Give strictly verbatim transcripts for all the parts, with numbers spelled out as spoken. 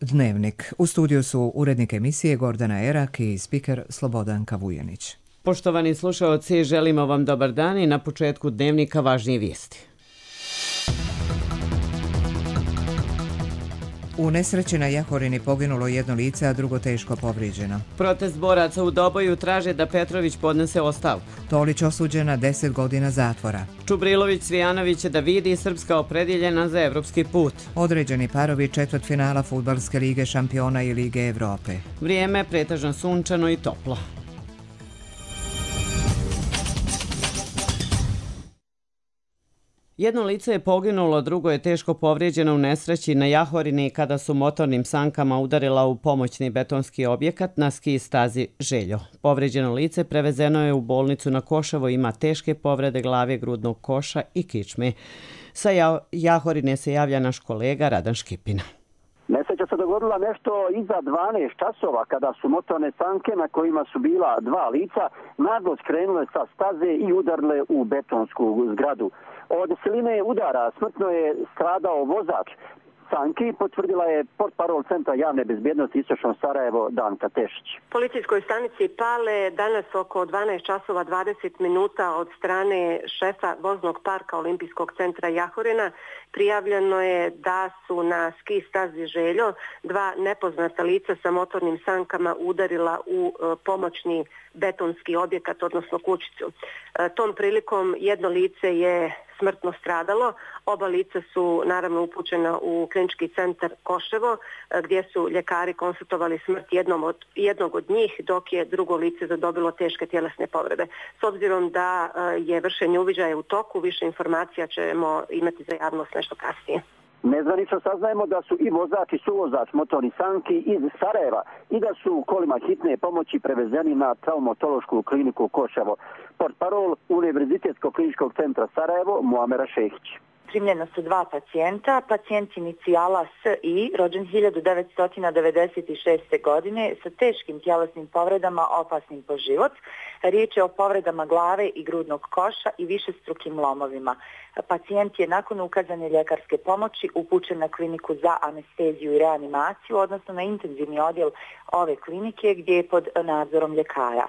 Dnevnik. U studiju su urednik emisije Gordana Erak i spiker Slobodanka Vujanić. Poštovani slušaoci, želimo vam dobar dan i na početku Dnevnika važnije vijesti. U nesreći na Jahorini poginulo jedno lice, a drugo teško povrijeđeno. Protest boraca u Doboju traže da Petrović podnese ostavku. Tolić osuđena deset godina zatvora. Čubrilović Cvijanović da vidi Srpska opredjeljena za evropski put. Određeni parovi četvrtfinala Fudbalske lige šampiona i Lige Evrope. Vrijeme pretežno sunčano i toplo. Jedno lice je poginulo, drugo je teško povrijeđeno u nesreći na Jahorini kada su motornim sankama udarila u pomoćni betonski objekat na ski stazi Željo. Povrijeđeno lice prevezeno je u bolnicu na Koševo, ima teške povrede glave, grudnog koša i kičme. Sa Jahorine se javlja naš kolega Radan Škipina. Nesreća se dogodila nešto iza dvanaest časova kada su motorne sanke na kojima su bila dva lica naglo skrenule sa staze i udarile u betonsku zgradu. Od siline udara smrtno je stradao vozač sanki, potvrdila je portparol Centra javne bezbjednosti Istočno Sarajevo Danka Tešić. Policijskoj stanici Pale danas oko dvanaest časova dvadeset minuta od strane šefa voznog parka Olimpijskog centra Jahorina prijavljeno je da su na ski stazi Željo dva nepoznata lica sa motornim sankama udarila u pomoćni betonski objekat, odnosno kućicu. Tom prilikom jedno lice je smrtno stradalo. Oba lica su naravno upućena u klinički centar Koševo, gdje su ljekari konstatovali smrt jednom od, jednog od njih, dok je drugo lice zadobilo teške tjelesne povrede. S obzirom da je vršenje uviđaja u toku, više informacija ćemo imati za javnost nešto kasnije. Nezvanično saznajemo da su i vozač i suvozač motornih sanki iz Sarajeva i da su u kolima hitne pomoći prevezeni na traumatološku kliniku Koševo. Portparol Univerzitetskog kliničkog centra Sarajevo Muamera Šehić. Primljena su dva pacijenta, pacijent inicijala S I, rođen hiljadu devetsto devedeset šeste. godine, sa teškim tjelesnim povredama opasnim po život. Riječ je o povredama glave i grudnog koša i višestrukim lomovima. Pacijent je nakon ukazane ljekarske pomoći upućen na kliniku za anesteziju i reanimaciju, odnosno na intenzivni odjel ove klinike gdje je pod nadzorom ljekara.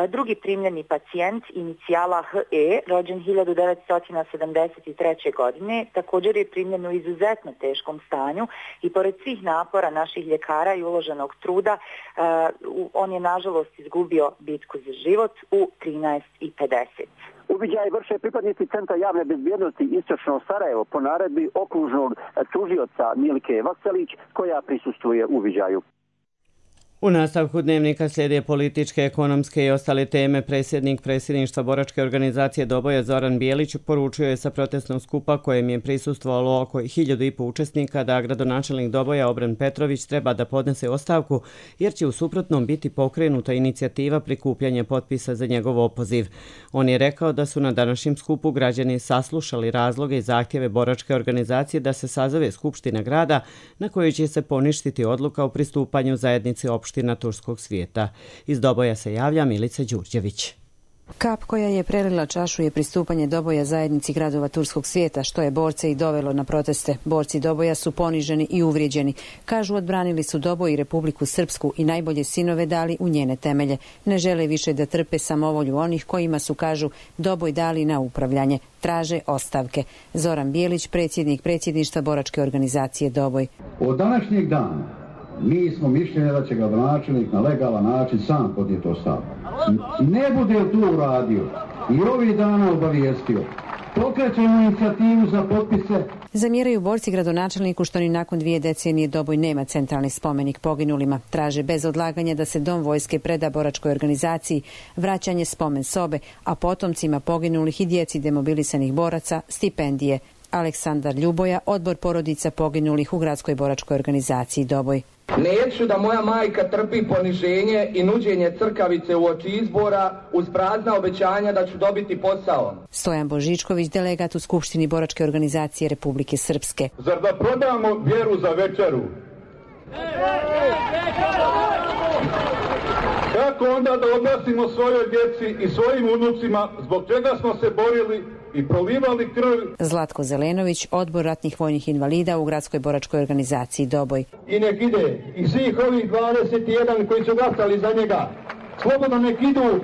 Drugi primljeni pacijent, inicijala H E, rođen hiljadu devetsto sedamdeset treće. godine, također je primljen u izuzetno teškom stanju i pored svih napora naših ljekara i uloženog truda, uh, on je nažalost izgubio bitku za život u trinaest i pedeset. Uviđaj vrše pripadnici Centra javne bezbjednosti Istočno Sarajevo po naredbi okružnog tužioca Milke Vaselić, koja prisustvuje uviđaju. U nastavku Dnevnika slijede političke, ekonomske i ostale teme. Predsjednik predsjedništva boračke organizacije Doboja Zoran Bijelić poručio je sa protestnog skupa kojem je prisustvovalo oko hiljadu i po učesnika da gradonačelnik Doboja Obran Petrović treba da podnese ostavku jer će u suprotnom biti pokrenuta inicijativa prikupljanja potpisa za njegov opoziv. On je rekao da su na današnjem skupu građani saslušali razloge i zahtjeve boračke organizacije da se sazove skupština grada na kojoj će se poništiti odluka o pristupanju zajednici opština na turskog svijeta. Iz Doboja se javlja Milica Đurđević. Kap koja je prelila čašu je pristupanje Doboja zajednici gradova turskog svijeta, što je borce i dovelo na proteste. Borci Doboja su poniženi i uvrijeđeni. Kažu, odbranili su Doboj i Republiku Srpsku i najbolje sinove dali u njene temelje. Ne žele više da trpe samovolju onih kojima su, kažu, Doboj dali na upravljanje. Traže ostavke. Zoran Bijelić, predsjednik predsjedništva boračke organizacije Doboj. Od današnjeg dana mi smo mišljenja da će gradonačelnik na legalan način sam podnijeti ostavku. Ne bude li to uradio i ovih dana obavijestio, pokrećemo inicijativu za potpise. Zamjeraju borci gradonačelniku što ni nakon dvije decenije Doboj nema centralni spomenik poginulima. Traže bez odlaganja da se dom vojske preda boračkoj organizaciji, vraćanje spomen sobe, a potomcima poginulih i djeci demobilisanih boraca stipendije. Aleksandar Ljuboja, odbor porodica poginulih u gradskoj boračkoj organizaciji Doboj. Neću da moja majka trpi poniženje i nuđenje crkavice u oči izbora uz prazna obećanja da ću dobiti posao. Stojan Božičković, delegat u Skupštini boračke organizacije Republike Srpske. Zar da prodamo vjeru za večeru? Kako onda da odnosimo svojoj djeci i svojim unucima zbog čega smo se borili i prolivali krv. Zlatko Zelenović, odbor ratnih vojnih invalida u gradskoj boračkoj organizaciji Doboj. I nek ide i svih ovih dvadeset jedan koji su glasali za njega. Slobodno nek idu,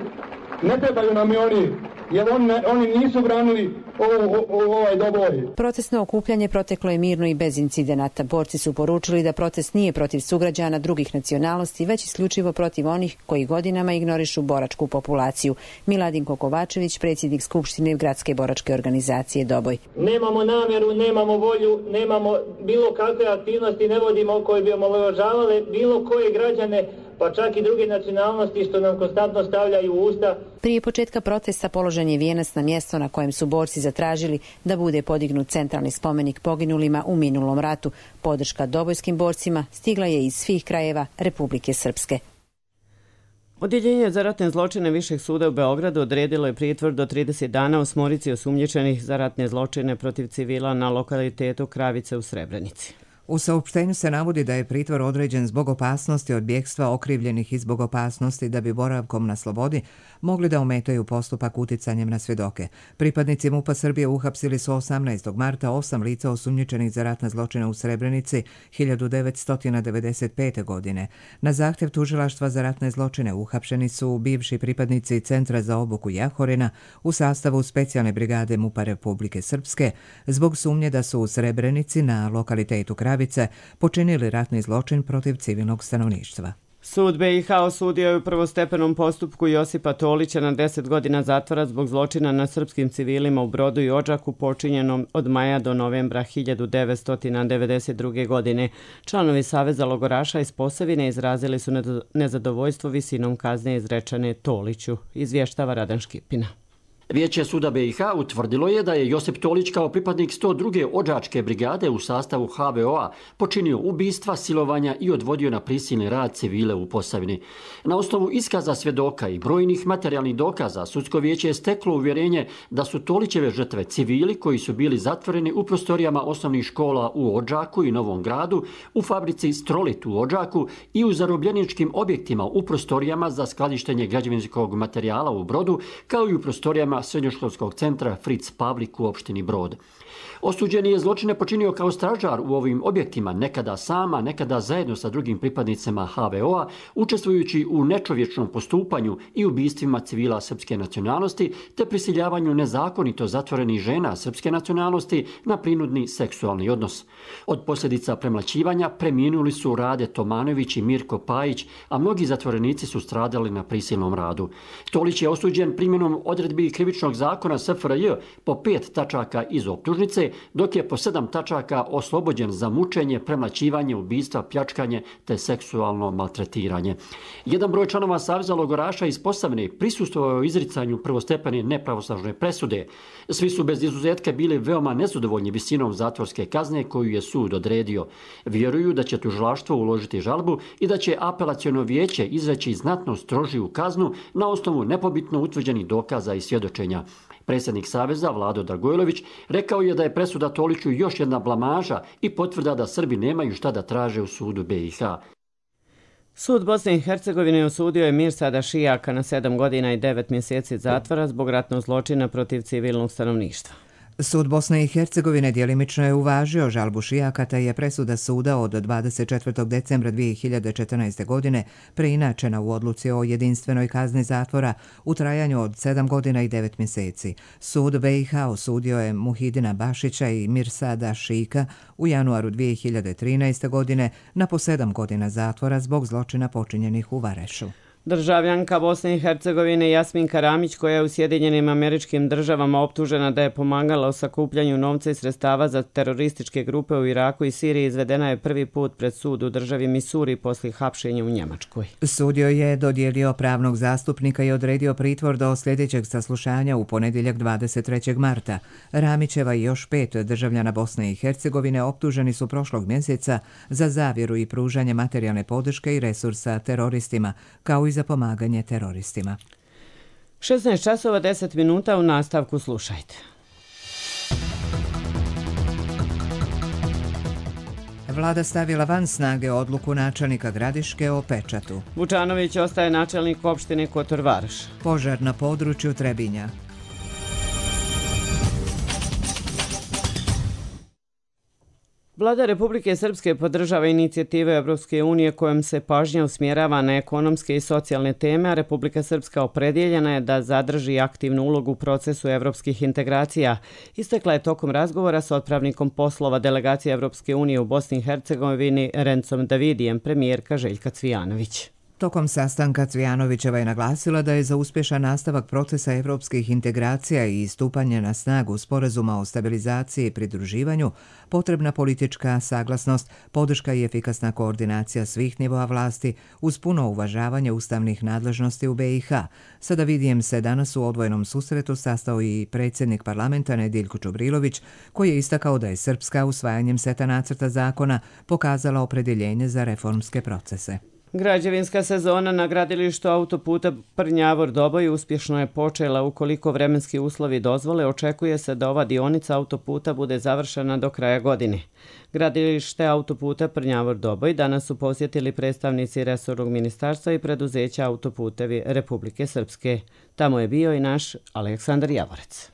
ne trebaju nam i oni, jer on, oni nisu branili ovo, ovo, ovaj Doboj. Protestno okupljanje proteklo je mirno i bez incidenata. Borci su poručili da protest nije protiv sugrađana drugih nacionalnosti, već isključivo protiv onih koji godinama ignorišu boračku populaciju. Miladinko Kovačević, predsjednik Skupštine gradske boračke organizacije Doboj. Nemamo namjeru, nemamo volju, nemamo bilo kakve aktivnosti, ne vodimo koje bi omalovažavale bilo koje građane, pa čak i druge nacionalnosti što nam konstantno stavljaju u usta. Prije početka protesta položen je vijenac na mjesto na kojem su borci zatražili da bude podignut centralni spomenik poginulima u minulom ratu. Podrška dobojskim borcima stigla je iz svih krajeva Republike Srpske. Odjeljenje za ratne zločine Višeg suda u Beogradu odredilo je pritvor do trideset dana osmorici osumnjičenih za ratne zločine protiv civila na lokalitetu Kravice u Srebrenici. U saopštenju se navodi da je pritvor određen zbog opasnosti od bjegstva okrivljenih i zbog opasnosti da bi boravkom na slobodi mogli da ometaju postupak uticanjem na svjedoke. Pripadnici MUP-a Srbije uhapsili su osamnaestog marta osam lica osumnjičenih za ratne zločine u Srebrenici hiljadu devetsto devedeset pete. godine. Na zahtjev tužilaštva za ratne zločine uhapšeni su bivši pripadnici Centra za obuku Jahorina u sastavu specijalne brigade MUP-a Republike Srpske zbog sumnje da su u Srebrenici na lokalitetu Kravice počinili ratni zločin protiv civilnog stanovništva. Sud B i H osudio je u prvostepenom postupku Josipa Tolića na deset godina zatvora zbog zločina na srpskim civilima u Brodu i Odžaku počinjenom od maja do novembra hiljadu devetsto devedeset druge. godine. Članovi Saveza logoraša iz Posavine izrazili su nezadovoljstvo visinom kazne izrečene Toliću, izvještava Radan Škipina. Vijeće suda B i H utvrdilo je da je Josip Tolić kao pripadnik sto druge Odžačke brigade u sastavu H V O-a počinio ubistva, silovanja i odvodio na prisilni rad civile u Posavini. Na osnovu iskaza svjedoka i brojnih materijalnih dokaza, sudsko vijeće je steklo uvjerenje da su Tolićeve žrtve civili koji su bili zatvoreni u prostorijama osnovnih škola u Odžaku i Novom Gradu, u fabrici Strolit u Odžaku i u zarobljeničkim objektima u prostorijama za skladištenje građevinskog materijala u Brodu, kao i u prostorijama srednjoškolskog centra Fritz Pavlik u opštini Brod. Osuđeni je zločine počinio kao stražar u ovim objektima, nekada sama, nekada zajedno sa drugim pripadnicima H V O-a, učestvujući u nečovječnom postupanju i ubistvima civila srpske nacionalnosti, te prisiljavanju nezakonito zatvorenih žena srpske nacionalnosti na prinudni seksualni odnos. Od posljedica premlaćivanja preminuli su Rade Tomanović i Mirko Pajić, a mnogi zatvorenici su stradali na prisilnom radu. Tolić je osuđen primjenom odredbi krivičnog zakona S F R J po pet tačaka iz optužnice, dok je po sedam tačaka oslobođen za mučenje, premlaćivanje, ubistva, pljačkanje te seksualno maltretiranje. Jedan broj članova Saveza logoraša iz Posavine prisustvovao je izricanju prvostepene nepravosnažne presude. Svi su bez izuzetka bili veoma nezadovoljni visinom zatvorske kazne koju je sud odredio. Vjeruju da će tužilaštvo uložiti žalbu i da će apelaciono vijeće izreći znatno strožiju kaznu na osnovu nepobitno utvrđenih dokaza i svjedočenja. Predsjednik Saveza, Vlado Dragojlović, rekao je da je presuda Toliću još jedna blamaža i potvrda da Srbi nemaju šta da traže u sudu B i H. Sud Bosne i Hercegovine osudio je Mirsada Šijaka na sedam godina i devet mjeseci zatvora zbog ratnog zločina protiv civilnog stanovništva. Sud Bosne i Hercegovine djelimično je uvažio žalbu Šijaka, te je presuda suda od dvadeset četvrtog decembra dvije hiljade četrnaeste. godine preinačena u odluci o jedinstvenoj kazni zatvora u trajanju od sedam godina i devet mjeseci. Sud B i H osudio je Muhidina Bašića i Mirsada Šika u januaru dvije hiljade trinaeste. godine na po sedam godina zatvora zbog zločina počinjenih u Varešu. Državljanka Bosne i Hercegovine Jasmin Karamić, koja je u Sjedinjenim Američkim Državama optužena da je pomagala u sakupljanju novca i sredstava za terorističke grupe u Iraku i Siriji, izvedena je prvi put pred sud u državi Misuri poslije hapšenja u Njemačkoj. Sud joj je dodijelio pravnog zastupnika i odredio pritvor do sljedećeg saslušanja u ponedjeljak dvadeset trećeg marta. Ramićeva i još pet državljana Bosne i Hercegovine optuženi su prošlog mjeseca za zavjeru i pružanje materijalne podrške i resursa teroristima, kao i za pomaganje teroristima. šesnaest časova deset minuta, u nastavku slušajte. Vlada stavila van snage odluku načelnika Gradiške o pečatu. Vučanović ostaje načelnik opštine Kotor Varoš. Požar na području Trebinja. Vlada Republike Srpske podržava inicijative Evropske unije kojom se pažnja usmjerava na ekonomske i socijalne teme, a Republika Srpska opredjeljena je da zadrži aktivnu ulogu u procesu evropskih integracija. Istakla je tokom razgovora s otpravnikom poslova delegacije Evropske unije u Bosni i Hercegovini Rencom Davidijem premijerka Željka Cvijanović. Tokom sastanka Cvijanovićeva je naglasila da je za uspješan nastavak procesa evropskih integracija i stupanje na snagu sporazuma o stabilizaciji i pridruživanju potrebna politička saglasnost, podrška i efikasna koordinacija svih nivoa vlasti uz puno uvažavanje ustavnih nadležnosti u be i ha. Sa Davidijem se danas u odvojenom susretu sastao i predsjednik parlamenta Nediljko Čubrilović, koji je istakao da je Srpska usvajanjem seta nacrta zakona pokazala opredjeljenje za reformske procese. Građevinska sezona na gradilištu autoputa Prnjavor-Doboj uspješno je počela. Ukoliko vremenski uslovi dozvole, očekuje se da ova dionica autoputa bude završena do kraja godine. Gradilište autoputa Prnjavor-Doboj danas su posjetili predstavnici resornog ministarstva i preduzeća Autoputevi Republike Srpske. Tamo je bio i naš Aleksandar Javorec.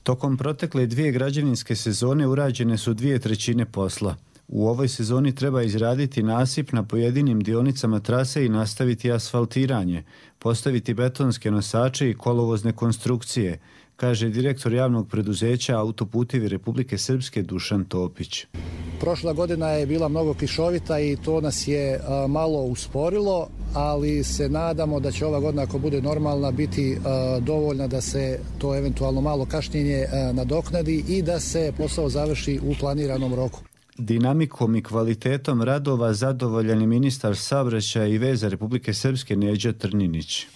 Tokom protekle dvije građevinske sezone urađene su dvije trećine posla. U ovoj sezoni treba izraditi nasip na pojedinim dionicama trase i nastaviti asfaltiranje, postaviti betonske nosače i kolovozne konstrukcije, kaže direktor javnog preduzeća Autoputevi Republike Srpske Dušan Topić. Prošla godina je bila mnogo kišovita i to nas je a, malo usporilo, ali se nadamo da će ova godina, ako bude normalna, biti a, dovoljna da se to eventualno malo kašnjenje a, nadoknadi i da se posao završi u planiranom roku. Dinamikom i kvalitetom radova zadovoljan je ministar saobraćaja i veza Republike Srpske Neđo Trninić.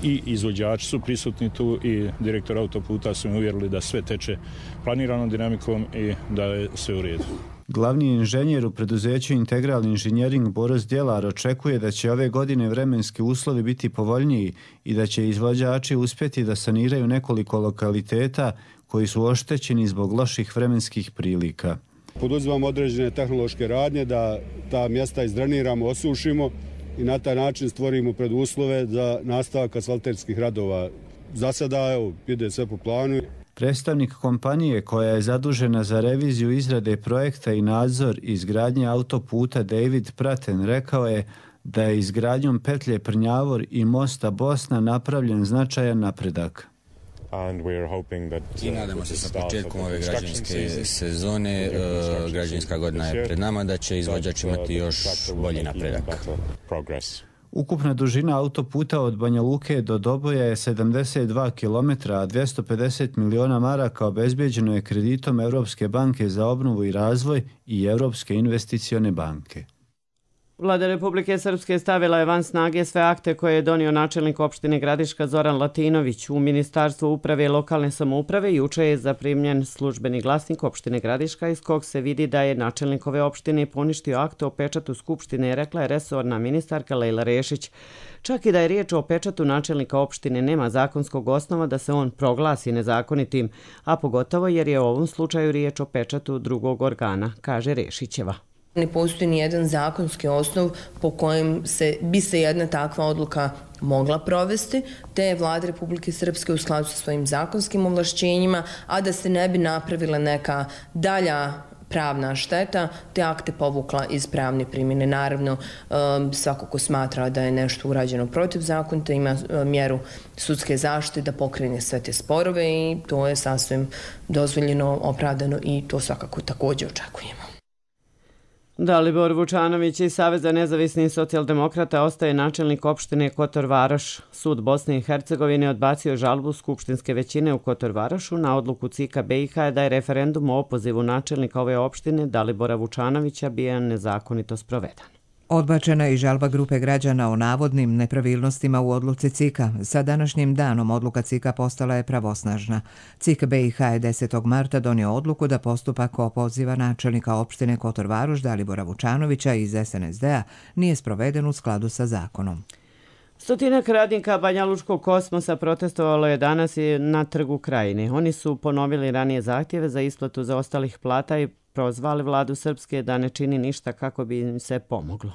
I izvođači su prisutni tu i direktor autoputa su mi uvjerili da sve teče planiranom dinamikom i da je sve u redu. Glavni inženjer u preduzeću Integralni inženjering Boris Djelar očekuje da će ove godine vremenski uslovi biti povoljniji i da će izvođači uspjeti da saniraju nekoliko lokaliteta koji su oštećeni zbog loših vremenskih prilika. Poduzimamo određene tehnološke radnje da ta mjesta izdreniramo, osušimo i na taj način stvorimo preduslove za nastavak asfalterskih radova. Za sada, evo, ide sve po planu. Predstavnik kompanije koja je zadužena za reviziju izrade projekta i nadzor izgradnje autoputa David Praten rekao je da je izgradnjom petlje Prnjavor i mosta Bosna napravljen značajan napredak. I nadamo se sa početkom ove građevinske sezone, građevinska godina je pred nama, da će izvođač imati još bolji napredak. Ukupna dužina autoputa od Banja Luke do Doboja je sedamdeset dva kilometra, a dvjesto pedeset miliona maraka obezbijeđeno je kreditom Europske banke za obnovu i razvoj i Europske investicione banke. Vlada Republike Srpske stavila je van snage sve akte koje je donio načelnik opštine Gradiška Zoran Latinović. U Ministarstvu uprave i lokalne samouprave juče je zaprimljen službeni glasnik opštine Gradiška iz kog se vidi da je načelnik ove opštine poništio akt o pečatu Skupštine, rekla je resorna ministarka Lejla Rešić. Čak i da je riječ o pečatu načelnika opštine, nema zakonskog osnova da se on proglasi nezakonitim, a pogotovo jer je u ovom slučaju riječ o pečatu drugog organa, kaže Rešićeva. Ne postoji ni jedan zakonski osnov po kojem se, bi se jedna takva odluka mogla provesti, te je Vlada Republike Srpske u skladu sa svojim zakonskim ovlašćenjima, a da se ne bi napravila neka dalja pravna šteta, te akte povukla iz pravne primjene. Naravno, svako ko smatra da je nešto urađeno protivzakonito ima mjeru sudske zaštite da pokrene sve te sporove i to je sasvim dozvoljeno, opravdano i to svakako također očekujemo. Dalibor Vučanović iz Saveza nezavisnih socijaldemokrata ostaje načelnik opštine Kotor Varoš. Sud Bosne i Hercegovine odbacio žalbu skupštinske većine u Kotor Varošu na odluku C I K-a be i ha da je referendum o opozivu načelnika ove opštine Dalibora Vučanovića bio nezakonito sproveden. Odbačena je i žalba grupe građana o navodnim nepravilnostima u odluci C I K-a. Sa današnjim danom odluka C I K-a postala je pravosnažna. C I K be i ha je desetog marta donio odluku da postupak opoziva načelnika opštine Kotor Varoš Dalibora Vučanovića iz es en es de-a nije sproveden u skladu sa zakonom. Stotinak radnika Banjalučkog kosmosa protestovalo je danas i na Trgu Krajine. Oni su ponovili ranije zahtjeve za isplatu zaostalih plata i prozvali vladu Srpske da ne čini ništa kako bi im se pomoglo.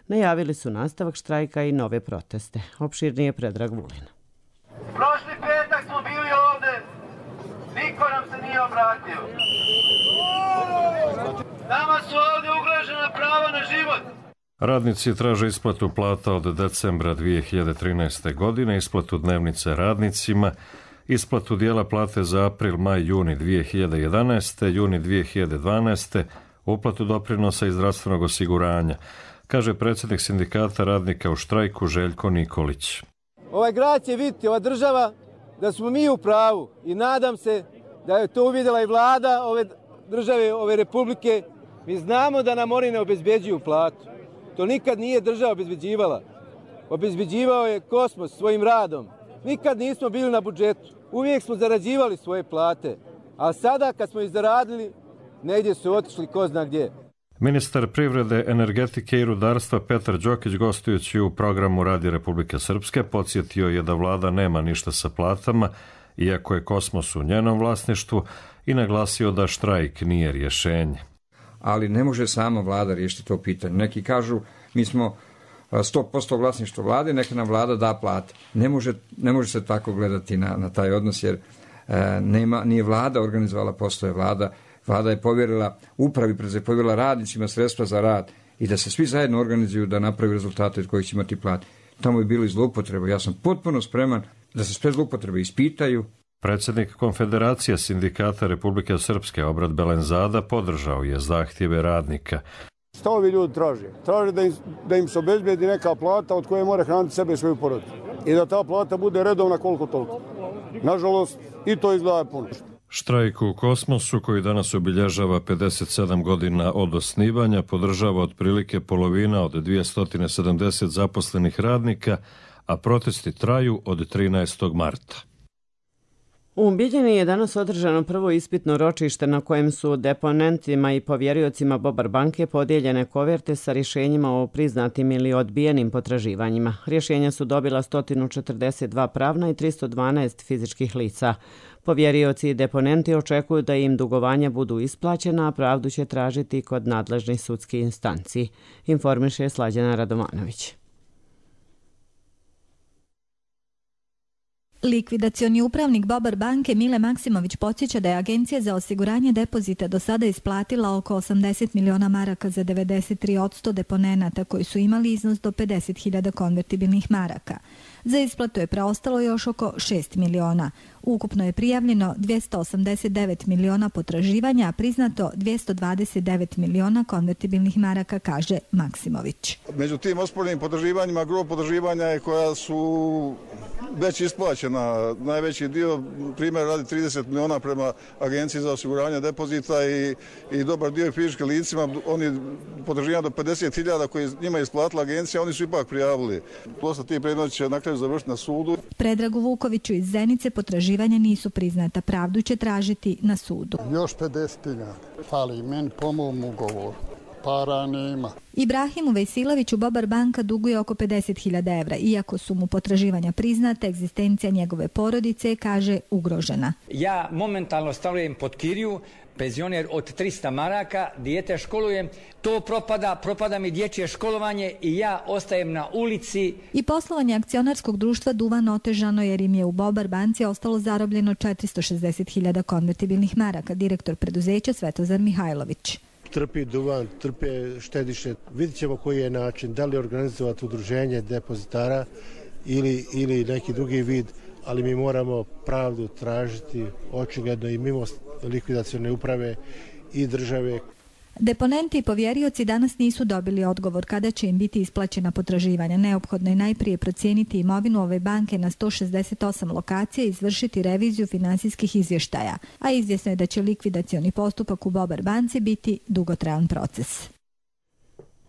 Najavili su nastavak štrajka i nove proteste. Opširnije Predrag Vulin. Prošli petak smo bili ovde, niko nam se nije obratio. Nama su ovdje ugrožena prava na život. Radnici traže isplatu plata od decembra dvije hiljade trinaeste. godine, isplatu dnevnice radnicima, isplatu dijela plate za april, maj, juni dvije hiljade jedanaeste. juni dvije hiljade dvanaeste. uplatu doprinosa i zdravstvenog osiguranja, kaže predsjednik sindikata radnika u štrajku Željko Nikolić. Ovaj grad će vidjeti, ova država, da smo mi u pravu i nadam se da je to uvidjela i vlada ove države, ove republike. Mi znamo da nam oni ne obezbeđuju platu. To nikad nije država obezbeđivala. Obezbeđivao je Kosmos svojim radom. Nikad nismo bili na budžetu. Uvijek smo zarađivali svoje plate. A sada kad smo ih zaradili, negdje su otišli ko zna gdje. Ministar privrede, energetike i rudarstva Petar Đokić, gostujući u programu Radija Republike Srpske, podsjetio je da vlada nema ništa sa platama, iako je Kosmos u njenom vlasništvu, i naglasio da štrajk nije rješenje. Ali ne može sama vlada riješiti to pitanje. Neki kažu mi smo sto posto vlasništvo vlade, neka nam vlada da plate. Ne može, ne može se tako gledati na, na taj odnos, jer e, nema, nije vlada organizovala poslove, vlada Vlada je povjerila upravi, je povjerila radnicima sredstva za rad i da se svi zajedno organizuju da napravi rezultate od kojih će imati plate. Tamo je bilo i zloupotreba. Ja sam potpuno spreman da se sve zloupotrebe ispitaju. Predsjednik Konfederacije sindikata Republike Srpske Obrad Belenzada podržao je zahtjeve radnika. Šta ovi ljudi traže? Traže da im, da im se obezbedi neka plata od koje mora hraniti sebe i svoju porodicu. I da ta plata bude redovna koliko toliko. Nažalost, i to izgleda puno. Štrajk u Kosmosu, koji danas obilježava pedeset sedam godina od osnivanja, podržava otprilike polovina od dvjesto sedamdeset zaposlenih radnika, a protesti traju od trinaestog marta. U Bijeljini je danas održano prvo ispitno ročište na kojem su deponentima i povjeriocima Bobar banke podijeljene koverte sa rješenjima o priznatim ili odbijenim potraživanjima. Rješenja su dobila sto četrdeset dva pravna i tristo dvanaest fizičkih lica. Povjerioci i deponenti očekuju da im dugovanja budu isplaćena, a pravdu će tražiti kod nadležnih sudskih instanci, informiše Slađana Radomanović. Likvidacioni upravnik Bobar banke Mile Maksimović podsjeća da je Agencija za osiguranje depozita do sada isplatila oko osamdeset miliona maraka za devedeset tri posto deponenata koji su imali iznos do pedeset hiljada konvertibilnih maraka. Za isplatu je preostalo još oko šest miliona. Ukupno je prijavljeno dvjesto osamdeset devet miliona potraživanja, a priznato dvjesto dvadeset devet miliona konvertibilnih maraka, kaže Maksimović. Među tim osporenim potraživanjima, gro potraživanja je koja su već isplaćena. Najveći dio, primjer, radi trideset miliona prema Agenciji za osiguranje depozita i, i dobar dio fizičkim licima. Oni potraživanja do pedeset hiljada koji njima je isplatila agencija, oni su ipak prijavili. Dosta tih predmeta će na kraju završiti na sudu. Predragu Vukoviću iz Zenice potraživanja nisu priznata. Pravdu će tražiti na sudu. Još pedeset hiljada. Fali meni po mom ugovoru. Para nema. Ibrahimu Vejsiloviću Bobar banka duguje oko pedeset hiljada evra. Iako su mu potraživanja priznate, egzistencija njegove porodice, kaže, ugrožena. Ja momentalno stavljam pod kiriju, penzioner od trista maraka, dijete školujem, to propada, propada mi dječje školovanje i ja ostajem na ulici. I poslovanje akcionarskog društva Duvan otežano jer im je u Bobar banci ostalo zarobljeno četiristo šezdeset hiljada konvertibilnih maraka, direktor preduzeća Svetozar Mihajlović. Trpi Duvan, trpe štediše. Vidjet ćemo koji je način, da li organizovati udruženje depozitara ili, ili neki drugi vid, ali mi moramo pravdu tražiti očigledno i mimo likvidacione uprave i države. Deponenti i povjerioci danas nisu dobili odgovor kada će im biti isplaćena potraživanja. Neophodno je najprije procijeniti imovinu ove banke na sto šezdeset osam lokacija i izvršiti reviziju finansijskih izvještaja, a izvjesno je da će likvidacioni postupak u Bobar banci biti dugotrajan proces.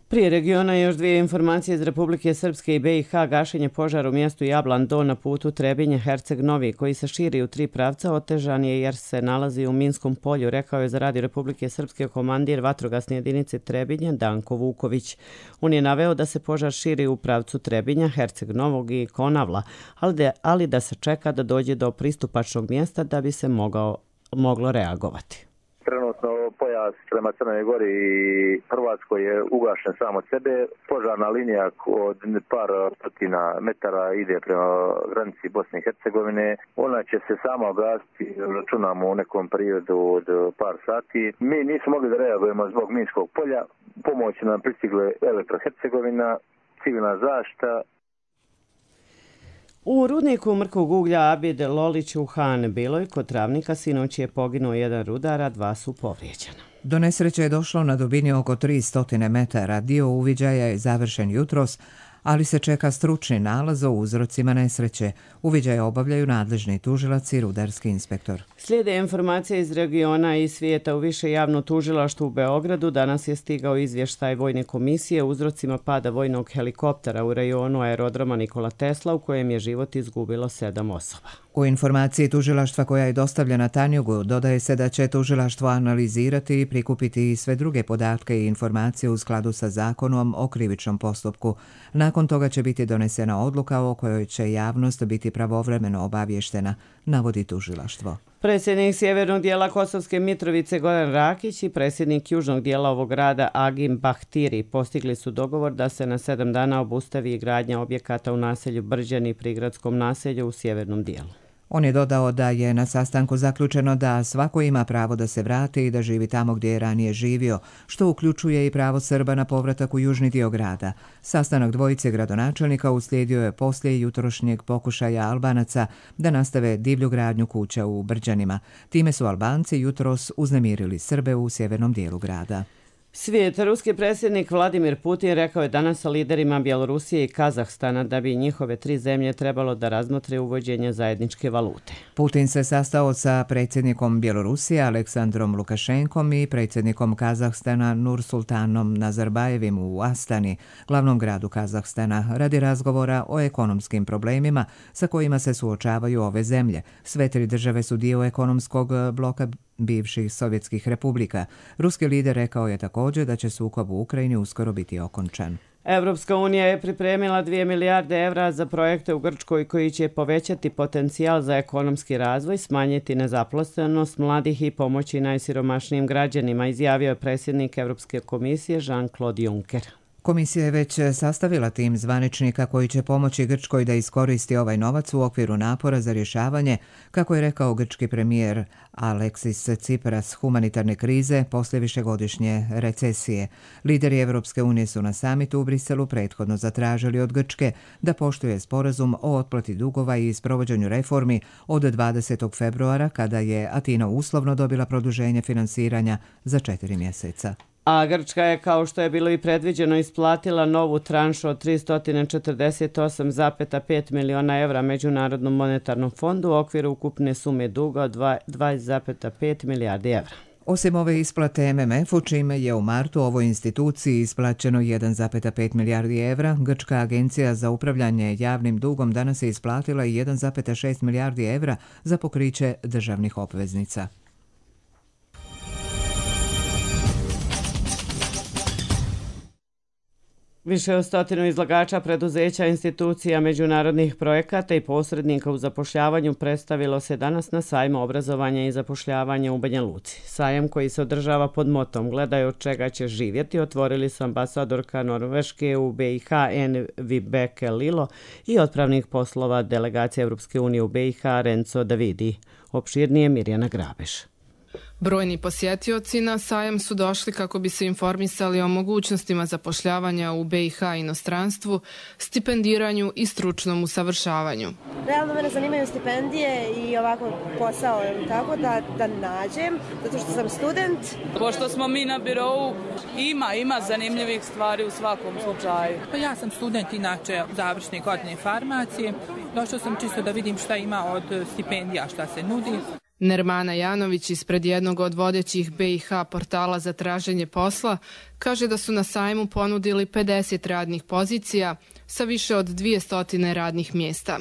Prije regiona još dvije informacije iz Republike Srpske i B i H. Gašenje požara u mjestu Jablan Do na putu Trebinje-Herceg Novi, koji se širi u tri pravca, otežan je jer se nalazi u minskom polju, rekao je za Radio Republike Srpske komandir vatrogasne jedinice Trebinje Danko Vuković. On je naveo da se požar širi u pravcu Trebinja, Herceg Novog i Konavla, ali da, ali da se čeka da dođe do pristupačnog mjesta da bi se mogao, moglo reagovati. Trenutno pojas gas prema Crnoj Gori i Hrvatskoj je ugašen sam od sebe. Požarna linija od par stotina metara ide prema granici Bosne i Hercegovine. Ona će se sama ugasiti, računamo u nekom periodu od par sati. Mi nismo mogli da reagujemo zbog minskog polja. Pomoć nam pristigle Elektrohercegovina, civilna zaštita. U rudniku mrkog uglja Abid Lolić u Han Biloj kod Travnika sinoć je poginuo jedan rudar, a dva su povrijeđena. Do nesreće je došlo na dubini oko tristo metara. Dio uviđaja je završen jutros, ali se čeka stručni nalaz o uzrocima nesreće. Uviđaj obavljaju nadležni tužilac i rudarski inspektor. Slijede informacije iz regiona i svijeta. U više javno tužilaštvo u Beogradu danas je stigao izvještaj Vojne komisije o uzrocima pada vojnog helikoptera u rajonu aerodroma Nikola Tesla u kojem je život izgubilo sedam osoba. U informaciji tužilaštva koja je dostavljena Tanjugu dodaje se da će tužilaštvo analizirati i prikupiti sve druge podatke i informacije u skladu sa zakonom o krivičnom postupku. Nakon toga će biti donesena odluka o kojoj će javnost biti pravovremeno obavještena, navodi tužilaštvo. Predsjednik sjevernog dijela Kosovske Mitrovice Goran Rakić i predsjednik južnog dijela ovog grada Agim Bahtiri postigli su dogovor da se na sedam dana obustavi gradnja objekata u naselju Brđani i prigradskom naselju u sjevernom dijelu. On je dodao da je na sastanku zaključeno da svako ima pravo da se vrati i da živi tamo gdje je ranije živio, što uključuje i pravo Srba na povratak u južni dio grada. Sastanak dvojice gradonačelnika uslijedio je poslije jutrošnjeg pokušaja Albanaca da nastave divlju gradnju kuća u Brđanima. Time su Albanci jutros uznemirili Srbe u sjevernom dijelu grada. Svijet. Ruski predsjednik Vladimir Putin rekao je danas sa liderima Bjelorusije i Kazahstana da bi njihove tri zemlje trebalo da razmotre uvođenje zajedničke valute. Putin se sastao sa predsjednikom Bjelorusije Aleksandrom Lukašenkom i predsjednikom Kazahstana Nursultanom Nazarbajevim u Astani, glavnom gradu Kazahstana, radi razgovora o ekonomskim problemima sa kojima se suočavaju ove zemlje. Sve tri države su dio ekonomskog bloka bivših sovjetskih republika. Ruski lider rekao je također da će sukob u Ukrajini uskoro biti okončan. Evropska unija je pripremila dvije milijarde evra za projekte u Grčkoj koji će povećati potencijal za ekonomski razvoj, smanjiti nezaposlenost mladih i pomoći najsiromašnijim građanima, izjavio je predsjednik Evropske komisije Jean-Claude Juncker. Komisija je već sastavila tim zvaničnika koji će pomoći Grčkoj da iskoristi ovaj novac u okviru napora za rješavanje, kako je rekao grčki premijer Aleksis Tsipras, humanitarne krize poslije višegodišnje recesije. Lideri Evropske unije su na samitu u Briselu prethodno zatražili od Grčke da poštuje sporazum o otplati dugova i sprovođenju reformi od dvadesetog februara, kada je Atina uslovno dobila produženje finansiranja za četiri mjeseca. A Grčka je, kao što je bilo i predviđeno, isplatila novu tranšu od tristo četrdeset osam zarez pet miliona evra Međunarodnom monetarnom fondu u okviru ukupne sume duga od dvadeset zarez pet milijardi evra. Osim ove isplate M M F-u, čime je u martu ovoj instituciji isplaćeno jedan zarez pet milijardi evra, Grčka agencija za upravljanje javnim dugom danas je isplatila i jedan zarez šest milijardi evra za pokriće državnih obveznica. Više od stotinu izlagača, preduzeća, institucija, međunarodnih projekata i posrednika u zapošljavanju predstavilo se danas na sajmu obrazovanja i zapošljavanja u Banja Luci. Sajam koji se održava pod motom "Gledaj od čega ćeš živjeti" otvorili su ambasadorka Norveške u B i H N Vibeke Lilo i otpravnik poslova delegacije Europske unije u B i H Renzo Davidi. Opširnije Mirjana Grabeš. Brojni posjetioci na sajam su došli kako bi se informisali o mogućnostima zapošljavanja u B i H inostranstvu, stipendiranju i stručnom usavršavanju. Realno mene zanimaju stipendije i ovako posao, tako da, da nađem, zato što sam student. Pošto smo mi na birou, ima, ima zanimljivih stvari u svakom slučaju. Pa ja sam student inače završne godine farmacije. Došao sam čisto da vidim šta ima od stipendija, šta se nudi. Nermana Janović ispred jednog od vodećih B i H portala za traženje posla kaže da su na sajmu ponudili pedeset radnih pozicija sa više od dvjesto radnih mjesta.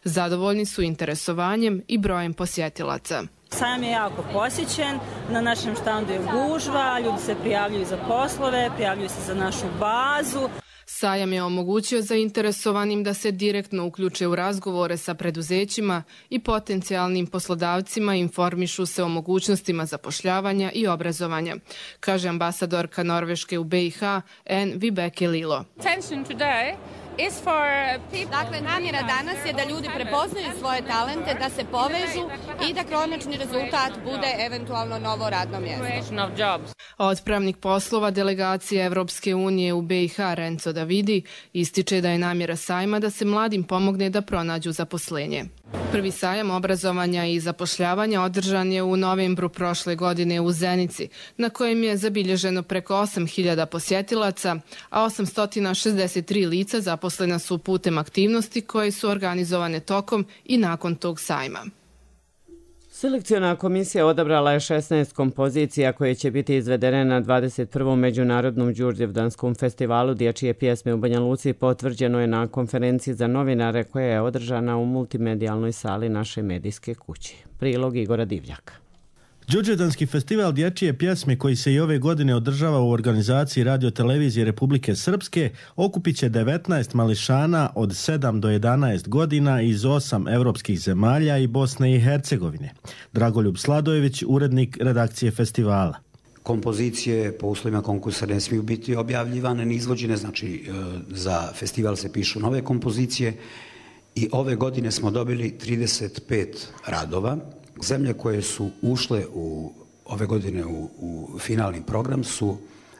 Zadovoljni su interesovanjem i brojem posjetilaca. Sajam je jako posjećen, na našem štandu je gužva, ljudi se prijavljuju za poslove, prijavljuju se za našu bazu. Sajam je omogućio zainteresovanim da se direktno uključe u razgovore sa preduzećima i potencijalnim poslodavcima i informišu se o mogućnostima zapošljavanja i obrazovanja, kaže ambasadorka Norveške u B i H N. Vibeke Lilo. Dakle, namjera danas je da ljudi prepoznaju svoje talente, da se povežu i da konačni rezultat bude eventualno novo radno mjesto. Otpravnik poslova delegacije Evropske unije u B i H Renzo Davidi ističe da je namjera sajma da se mladim pomogne da pronađu zaposlenje. Prvi sajam obrazovanja i zapošljavanja održan je u novembru prošle godine u Zenici, na kojem je zabilježeno preko osam hiljada posjetilaca, a osamsto šezdeset tri lica zaposlena su putem aktivnosti koje su organizovane tokom i nakon tog sajma. Selekciona komisija odabrala je šesnaest kompozicija koje će biti izvedene na dvadeset prvom Međunarodnom Đurđevdanskom festivalu dječje pjesme u Banja Luci, potvrđeno je na konferenciji za novinare koja je održana u multimedijalnoj sali naše medijske kuće. Prilog Igora Divljaka. Đurđevdanski festival dječje pjesme koji se i ove godine održava u organizaciji Radio-televizije Republike Srpske okupit će devetnaest mališana od sedam do jedanaest godina iz osam evropskih zemalja i Bosne i Hercegovine. Dragoljub Sladojević, urednik redakcije festivala. Kompozicije po uslovima konkursa ne smiju biti objavljivane ni izvođene, znači za festival se pišu nove kompozicije i ove godine smo dobili trideset pet radova. Zemlje koje su ušle u, ove godine u, u finalni program su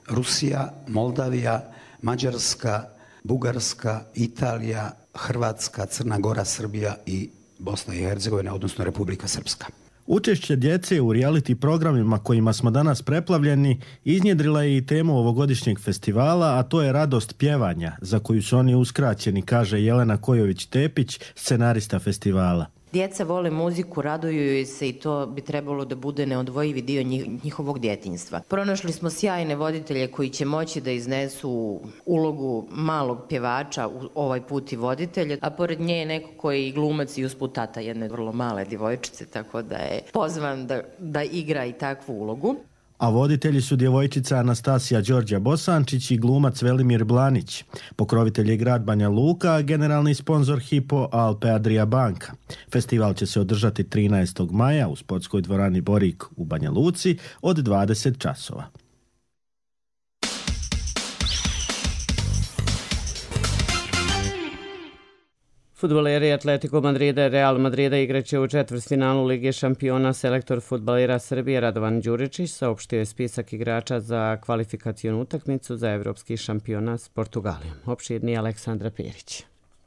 Rusija, Moldavija, Mađarska, Bugarska, Italija, Hrvatska, Crna Gora, Srbija i Bosna i Hercegovina, odnosno Republika Srpska. Učešće djece u reality programima kojima smo danas preplavljeni iznjedrila je i temu ovogodišnjeg festivala, a to je radost pjevanja, za koju su oni uskraćeni, kaže Jelena Kojović-Tepić, scenarista festivala. Djeca vole muziku, raduju joj se i to bi trebalo da bude neodvojivi dio njihovog djetinjstva. Pronašli smo sjajne voditelje koji će moći da iznesu ulogu malog pjevača, ovaj put i voditelja, a pored nje je neko koji je i glumac i usput tata jedne vrlo male djevojčice, tako da je pozvan da, da igra i takvu ulogu. A voditelji su djevojčica Anastasija Đorđa Bosančić i glumac Velimir Blanić. Pokrovitelj je grad Banja Luka, a generalni sponzor Hypo Alpe Adria banka. Festival će se održati trinaestog maja u sportskoj dvorani Borik u Banja Luci od dvadeset časova. Fudbaleri Atletico Madrida i Real Madrida igraće u četvrtfinalu Lige šampiona. Selektor fudbalera Srbije Radovan Đuričić saopštio je spisak igrača za kvalifikacionu utakmicu za evropski šampionat s Portugalijom. Opširni Aleksandra Perić.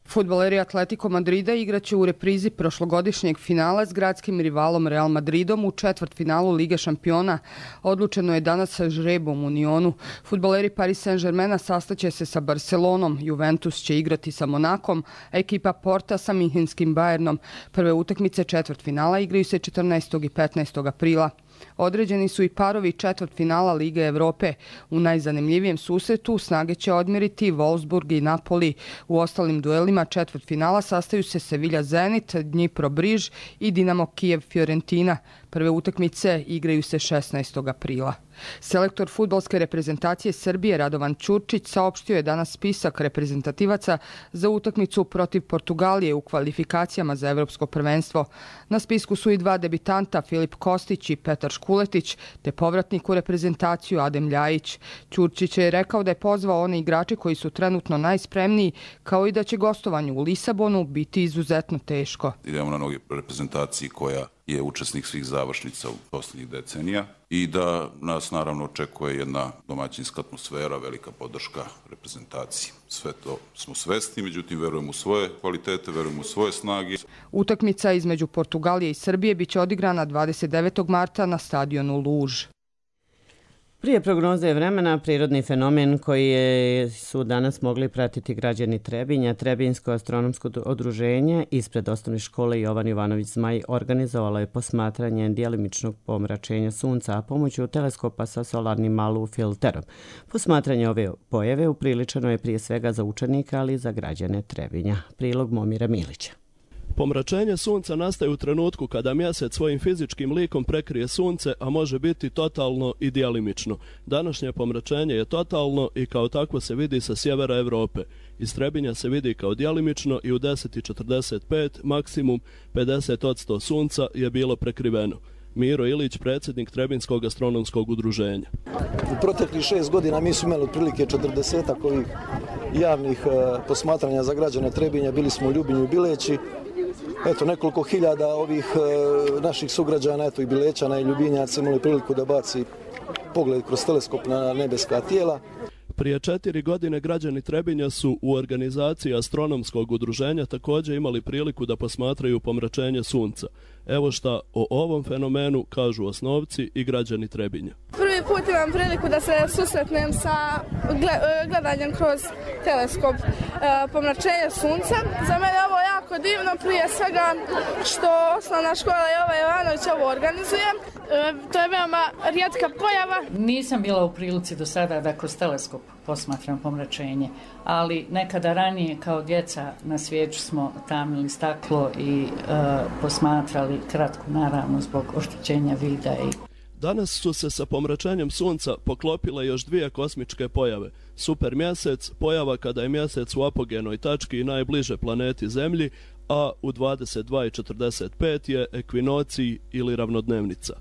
Fudbaleri Atletico Madrida igraće u reprizi prošlogodišnjeg finala s gradskim rivalom Real Madridom u četvrtfinalu Lige šampiona. Odlučeno je danas sa žrebom u Unionu. Fudbaleri Paris Saint-Germaina sastaće se sa Barcelonom, Juventus će igrati sa Monakom, a ekipa Porta sa Minhenskim Bayernom. Prve utakmice četvrtfinala igraju se četrnaestog i petnaestog aprila. Određeni su i parovi četvrtfinala Lige Evrope. U najzanimljivijem susretu snage će odmjeriti Wolfsburg i Napoli. U ostalim duelima četvrtfinala sastaju se Sevilla Zenit, Dnipro Briž i Dinamo Kijev Fiorentina. Prve utakmice igraju se šesnaestog aprila. Selektor fudbalske reprezentacije Srbije Radovan Ćurčić saopštio je danas spisak reprezentativaca za utakmicu protiv Portugalije u kvalifikacijama za evropsko prvenstvo. Na spisku su i dva debitanta, Filip Kostić i Petar Škuletić, te povratnik u reprezentaciju Adem Ljajić. Ćurčić je rekao da je pozvao one igrače koji su trenutno najspremniji, kao i da će gostovanje u Lisabonu biti izuzetno teško. Idemo na noge reprezentaciji koja je učesnik svih završnica u posljednjih decenija i da nas naravno očekuje jedna domaćinska atmosfera, velika podrška reprezentaciji. Sve to smo svesni, međutim verujemo u svoje kvalitete, verujemo u svoje snage. Utakmica između Portugalije i Srbije biće odigrana dvadeset devetog marta na stadionu Luž. Prije prognoze vremena, prirodni fenomen koji je, su danas mogli pratiti građani Trebinja, Trebinjsko astronomsko udruženje ispred osnovne škole Jovan Jovanović Zmaj organizovalo je posmatranje djelimičnog pomračenja sunca, a pomoću teleskopa sa solarnim malu filterom. Posmatranje ove pojave upriličeno je prije svega za učenike, ali i za građane Trebinja. Prilog Momira Milića. Pomračenje sunca nastaje u trenutku kada mjesec svojim fizičkim likom prekrije sunce, a može biti totalno i dijalimično. Današnje pomračenje je totalno i kao takvo se vidi sa sjevera Europe. Iz Trebinja se vidi kao dijalimično i u deset i četrdeset pet maksimum pedeset posto sunca je bilo prekriveno. Miro Ilić, predsjednik Trebinskog astronomskog udruženja. U proteklih šest godina mi smo imali otprilike četrdesetak ovih javnih e, posmatranja za građane Trebinja. Bili smo u Ljubinju i Bileći. Eto, nekoliko hiljada ovih e, naših sugrađana, eto i Bilećana i Ljubinjaca imali priliku da baci pogled kroz teleskop na nebeska tijela. Prije četiri godine građani Trebinja su u organizaciji astronomskog udruženja također imali priliku da posmatraju pomračenje sunca. Evo šta o ovom fenomenu kažu osnovci i građani Trebinja. Prvi put imam priliku da se susretnem sa gledanjem kroz teleskop pomračenja sunca. Za mene je ovo jako divno, prije svega što osnovna škola Jova Jovanović ovo organizuje. To je veoma rijetka pojava. Nisam bila u prilici do sada da kroz teleskop posmatram pomračenje, ali nekada ranije kao djeca na svijeću smo tamnili staklo i uh, posmatrali kratko, naravno zbog oštećenja vida. I... Danas su se sa pomračenjem sunca poklopile još dvije kosmičke pojave. Super mjesec, pojava kada je mjesec u apogenoj tački i najbliže planeti Zemlji, a u dvadeset dva i četrdeset pet je ekvinocij ili ravnodnevnica.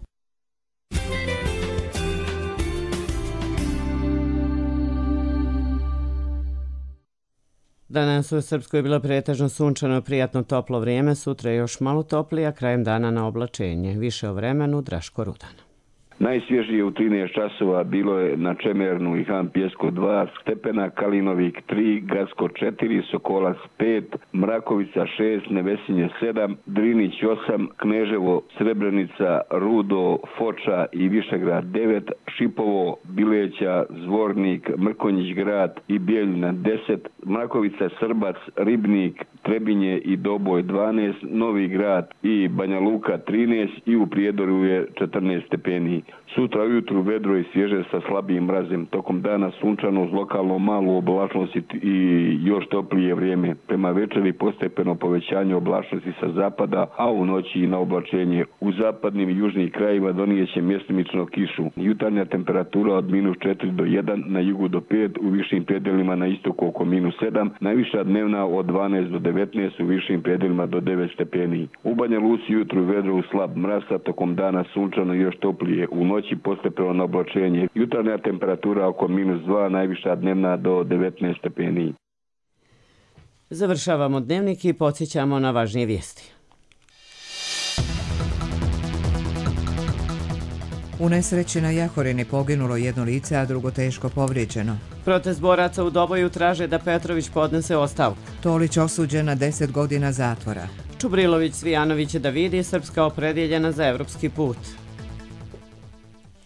Danas u Srpskoj je bilo pretežno sunčano, prijatno toplo vrijeme, sutra je još malo toplije, a krajem dana na oblačenje. Više o vremenu Draško Rudan. Najsvježije u trinaest časova bilo je na Čemernu i Han Pjesko dva stepena, Kalinovik tri, Gacko četiri, Sokolac pet, Mrakovica šest, Nevesinje sedam, Drinić osam, Kneževo, Srebrenica, Rudo, Foča i Višegrad devet, Šipovo, Bileća, Zvornik, Mrkonjić grad i Bijeljina deset, Mrakovica, Srbac, Ribnik, Trebinje i Doboj dvanaest, Novi grad i Banja Luka trinaest i u Prijedoru je četrnaest stepeni. Sutra ujutru vedro i svježe sa slabijim mrazem. Tokom dana sunčano uz lokalno malu oblačnost i još toplije vrijeme. Prema večeri postepeno povećanje oblačnosti sa zapada, a u noći i na oblačenje. U zapadnim i južnim krajevima donijeće mjestimično kišu. Jutarnja temperatura od minus četiri do jedan, na jugu do pet, u višim predelima na istoku oko minus sedam, najviša dnevna od dvanaest do devetnaest, u višim predelima do devet stepeni. U Banja Luci jutru vedro u slab mraz, tokom dana sunčano još toplije. U noći postepeno na oblačenje. Jutarnja temperatura oko minus dva, najviša dnevna do devetnaest stepeni. Završavamo dnevnik i podsjećamo na važnije vijesti. U nesreći na Jahorini poginulo jedno lice, a drugo teško povrijeđeno. Protest boraca u Doboju traže da Petrović podnese ostavku. Tolić osuđen na deset godina zatvora. Čubrilović Svijanović da vidi Srpska opredjeljena za evropski put.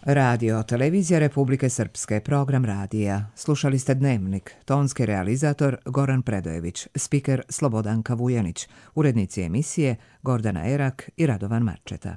Radio, televizija Republike Srpske, program radija. Slušali ste Dnevnik, tonski realizator Goran Predojević, spiker Slobodanka Vujanić, urednici emisije Gordana Erak i Radovan Marčeta.